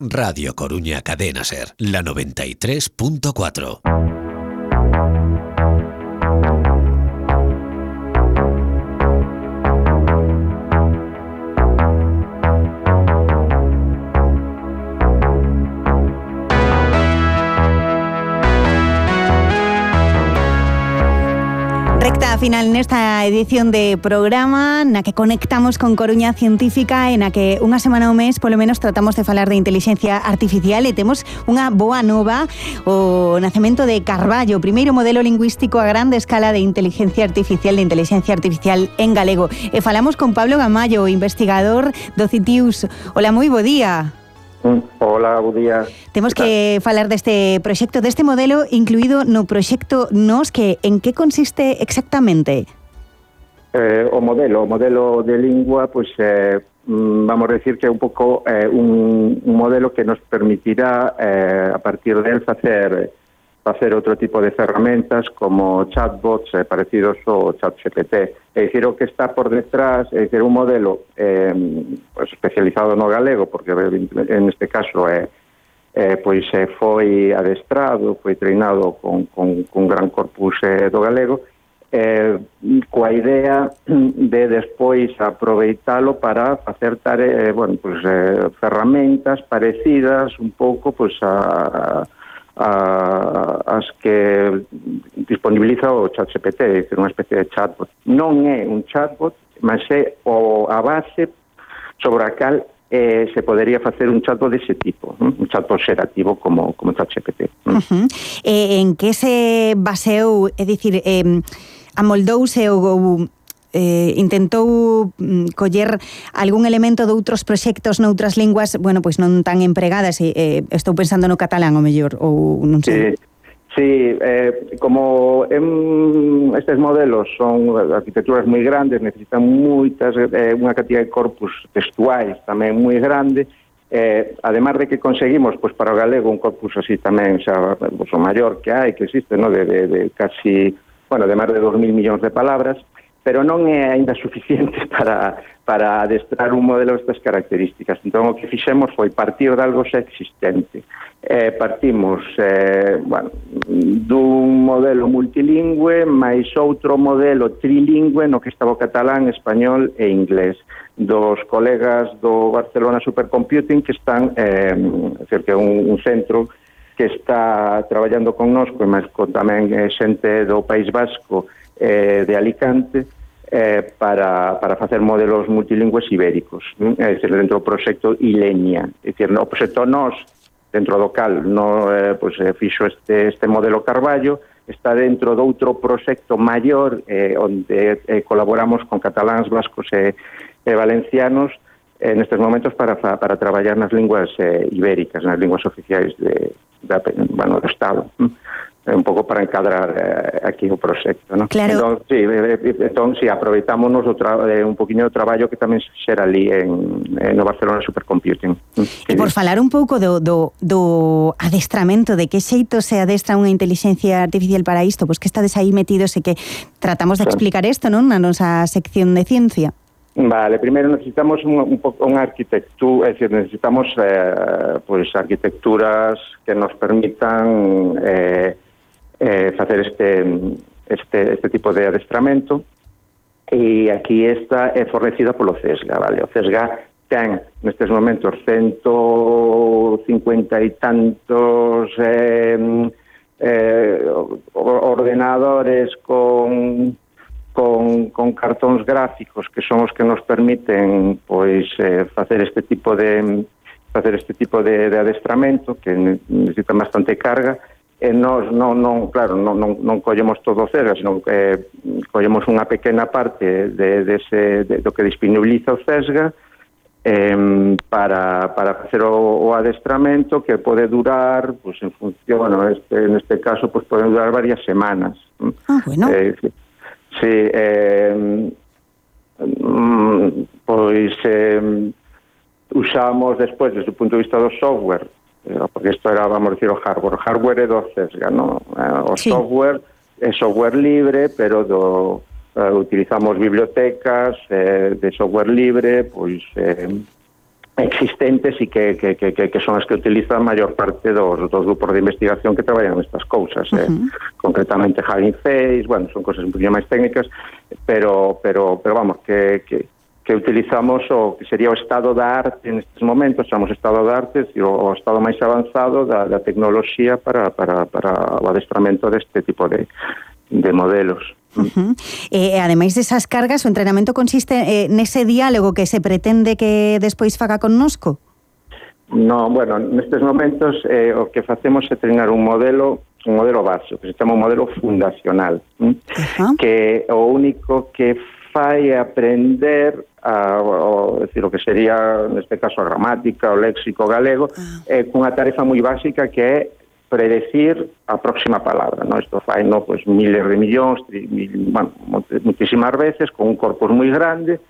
Radio Coruña Cadena Ser, la 93.4. Recta final nesta edición de programa na que conectamos con Coruña Científica, en a que unha semana ao mes polo menos tratamos de falar de inteligencia artificial e temos unha boa nova, o nacemento de Carballo, o primeiro modelo lingüístico a grande escala de inteligencia artificial en galego. E falamos con Pablo Gamallo, investigador do CITIUS. Hola, moi bo día. Hola, bo día. Temos que falar deste proxecto, deste modelo incluído no proxecto NOS, que en que consiste exactamente? O modelo de lingua, pues vamos a decir que é un pouco un modelo que nos permitirá a partir del facer outro tipo de ferramentas como chatbots parecidos ao ChatGPT. É dicir, o que está por detrás é dicir, un modelo pues, especializado no galego, porque en este caso foi adestrado, foi treinado con gran corpus do galego, coa idea de despois aproveitalo para facer ferramentas parecidas un pouco pues, as que disponibiliza o ChatGPT, é dicir, unha especie de chatbot. Non é un chatbot, mas é a base sobre a cal se podería facer un chatbot dese tipo, un chatbot xerativo como ChatGPT. En que se baseou, é dicir, amoldouse ou intentou coller algún elemento de outros proxectos noutras linguas, bueno, pois non tan empregadas, estou pensando no catalán, o mellor, ou non sei. Sí, como estes modelos son arquitecturas moi grandes, necesitan moitas, unha cantidad de corpus textuais tamén moi grande, además de que conseguimos, pois para o galego, un corpus así tamén, xa, o maior que hai, que existe, no? de casi, bueno, de máis de 2.000 millóns de palabras, pero non é aínda suficiente para adestrar un modelo destas características. Entón, o que fixemos foi partir de algo xa existente. Partimos dun modelo multilingüe máis outro modelo trilingüe no que estaba o catalán, español e inglés, dos colegas do Barcelona Supercomputing, que están, que é un centro que está traballando connosco, mas con tamén xente do País Vasco, de Alicante, para facer modelos multilingües ibéricos, é dicir, dentro do proxecto Ilenia. É dicir, o proxecto NOS, dentro do cal fixo este modelo Carballo, está dentro de outro proxecto maior onde colaboramos con cataláns, vascos e valencianos nestes momentos para traballar nas linguas ibéricas, nas linguas oficiais do Estado. Un pouco para encadrar aquí o proxecto, ¿no? Claro. Entón, aproveitámonos un poquinho do traballo que tamén se xera ali no Barcelona Supercomputing. E por falar un pouco do adestramento, de que xeito se adestra unha inteligencia artificial para isto, pois que estades aí metidos e que tratamos de explicar isto, non, na nosa sección de ciencia. Vale, primeiro necesitamos unha arquitectura, é dicir, necesitamos arquitecturas que nos permitan facer este tipo de adestramento, e aquí esta é fornecida polo CESGA, vale? O CESGA ten nestes momentos 150 e tantos ordenadores con cartóns gráficos que son os que nos permiten facer este tipo de adestramento, que necesitan bastante carga. Nos non collemos todo o CESGA, senón que collemos unha pequena parte do que disponibiliza o CESGA para facer o adestramento, que pode durar, en función, neste caso, pode durar varias semanas. Bueno. Usamos despois, desde o punto de vista do software, porque isto era, vamos a decir, o hardware é do CESGA, no? O software é software libre, pero utilizamos bibliotecas de software libre, existentes e que son as que utiliza a maior parte dos grupos de investigación que traballan nestas cousas, concretamente Hugging Face, bueno, son cousas un poquinho máis técnicas, pero vamos, que utilizamos o que sería o estado da arte nestes momentos, chamamos estado da arte, o estado máis avanzado da tecnoloxía para o adestramento deste tipo de modelos. Ademais desas cargas, o entrenamento consiste nese diálogo que se pretende que despois faga connosco? No, bueno, nestes momentos o que facemos é treinar un modelo básico, que se chama un modelo fundacional, que o único que fai aprender decir, o que sería, neste caso, a gramática, o léxico galego, cunha tarefa moi básica que é predecir a próxima palabra, ¿no? Isto fai, ¿no? Pues miles de millóns, muchísimas veces, con un corpus moi grande,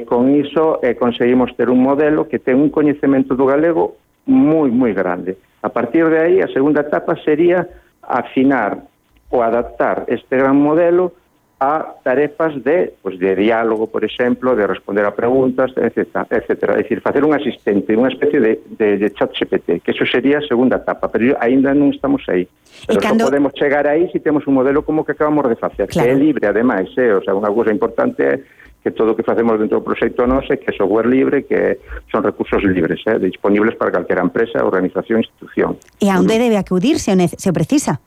con iso conseguimos ter un modelo que ten un coñecemento do galego moi, moi grande. A partir de aí, a segunda etapa sería afinar ou adaptar este gran modelo a tarefas de diálogo, por exemplo, de responder a preguntas, etc. É dicir, facer un asistente, unha especie de chat GPT, que eso sería a segunda etapa, pero ainda non estamos aí. Pero só podemos chegar aí se temos un modelo como que acabamos de facer, claro, que é libre, ademais, o sea, unha cousa importante é que todo o que facemos dentro do proxecto NOS é que é software libre, que son recursos libres, disponibles para calquera empresa, organización, institución. E a onde debe acudir se o precisa?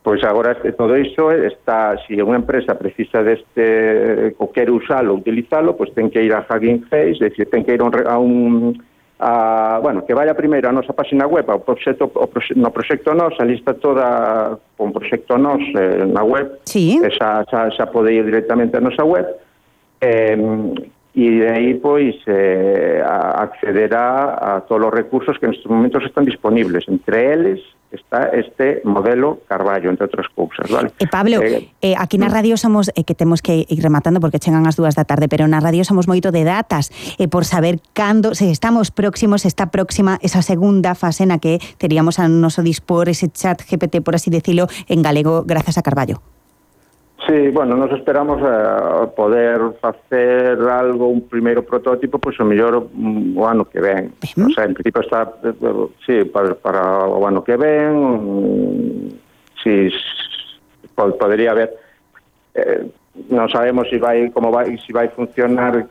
Pois agora todo iso está, se unha empresa precisa deste, ou quere usalo, utilizalo, pois ten que ir a Hugging Face, é dicir, ten que ir bueno, que vaya primeiro a nosa página web, no proxecto NOS, ali está toda con proxecto NOS na web, sí, xa pode ir directamente a nosa web, e de aí pois accederá a todos os recursos que nestes momentos están disponibles, entre eles está este modelo Carballo, entre outras cousas, vale? Pablo, aquí na radio somos, que temos que ir rematando porque chegan as 2 da tarde, pero na radio somos moito de datas, por saber cando, se estamos próximos, está próxima esa segunda fase na que teríamos a noso dispor ese chat GPT, por así decirlo, en galego, grazas a Carballo. Sí, bueno, nos esperamos poder facer algo, un primeiro protótipo, pois o mellor o ano que ven. O sea, en principio está, sí, para o ano que ven, sí, podría haber, non sabemos se vai funcionar,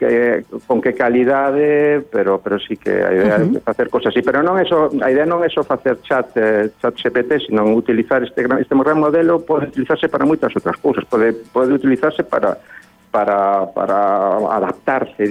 con que calidade, pero sí que a idea é facer cosas así, pero non é só, a idea non é só facer chat GPT, sino utilizar este gran modelo, pode utilizarse para moitas outras cousas, pode utilizarse para adaptarse,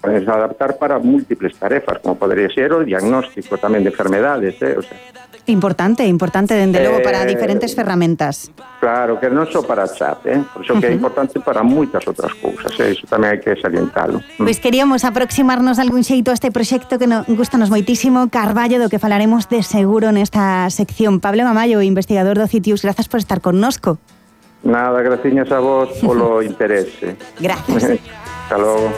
pode adaptar para múltiples tarefas, como podría ser o diagnóstico tamén de enfermedades, o sea. Importante, dende logo, para diferentes ferramentas. Claro, que non só para chat, por iso que é importante para moitas outras cousas, iso tamén hai que salientalo. Pois queríamos aproximarnos de algún xeito a este proxecto que nos gustanos moitísimo, Carballo, do que falaremos de seguro nesta sección. Pablo Mamallo, investigador do CITIUS, grazas por estar connosco. Nada, graciñas a vos polo interese. Gracias. Hasta logo.